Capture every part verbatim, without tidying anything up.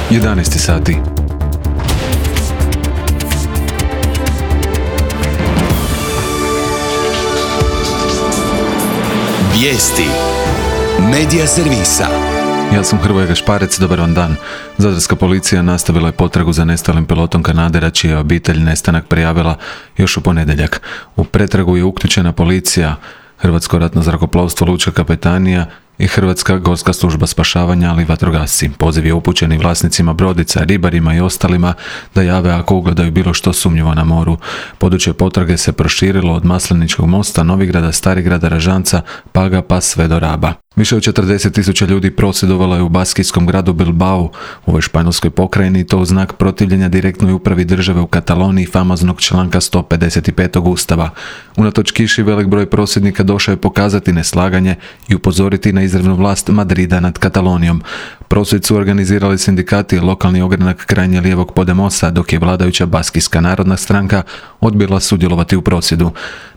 jedanaest sati. Vijesti Medija servisa. Ja sam Hrvoje Gašparec, dobar vam dan. Zadarska policija nastavila je potragu za nestalim pilotom Kanadera, čija je obitelj nestanak prijavila još u ponedjeljak. U pretragu je uključena policija, Hrvatsko ratno zrakoplovstvo, Lučka kapetanija i Hrvatska gorska služba spašavanja, ali i vatrogasci. Poziv je upućen i vlasnicima brodica, ribarima i ostalima da jave ako ugledaju bilo što sumnjivo na moru. Područje potrage se proširilo od Masleničkog mosta, Novigrada, Starigrada, Ražanca, Paga pa sve do Raba. Više od četrdeset tisuća ljudi prosvjedovalo je u baskijskom gradu Bilbao u ovoj španjolskoj pokrajini, i to u znak protivljenja direktnoj upravi države u Kataloniji famoznog članka sto pedeset pet Ustava. Unatoč kiši, velik broj prosvjednika došao je pokazati neslaganje i upozoriti na izravnu vlast Madrida nad Katalonijom. Prosvjed su organizirali sindikati i lokalni ogranak krajnje lijevog Podemosa, dok je vladajuća Baskijska narodna stranka odbila sudjelovati u prosvjedu.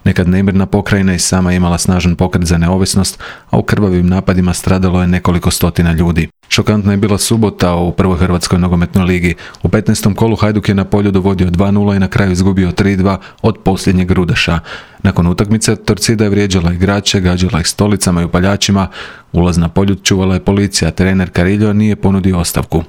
Nekad nemirna pokrajina i sama imala snažan pokret za neovisnost, a u krvavim napadima stradalo je nekoliko stotina ljudi. Šokantna je bila subota u prvoj Hrvatskoj nogometnoj ligi. U petnaestom kolu Hajduk je na Poljudu vodio dva nula i na kraju izgubio tri dva od posljednjeg Rudaša. Nakon utakmice Torcida je vrijeđala igrače, gađala ih stolicama i upaljačima. Ulaz na Poljud čuvala je policija, trener Carillo nije ponudio ostavku.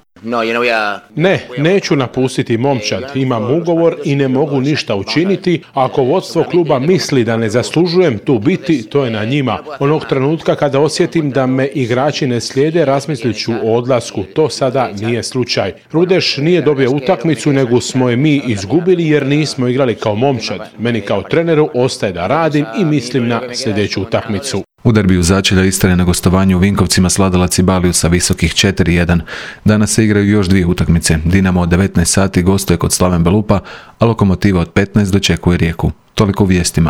Ne, neću napustiti momčad, imam ugovor i ne mogu ništa učiniti. Ako vodstvo kluba misli da ne zaslužujem tu biti, to je na njima. Onog trenutka kada osjetim da me igrači ne slijede, razmislit ću o odlasku. To sada nije slučaj. Rudeš nije dobio utakmicu, nego smo je mi izgubili jer nismo igrali kao momčad. Meni kao treneru ostaje da radim i mislim na sljedeću utakmicu. U derbiju začelja Istre na gostovanju u Vinkovcima svladala Cibaliju sa visokih četiri jedan. Danas se igraju još dvije utakmice. Dinamo od devetnaest sati gostuje kod Slaven Belupa, a Lokomotiva od petnaest dočekuje Rijeku. Toliko u vijestima.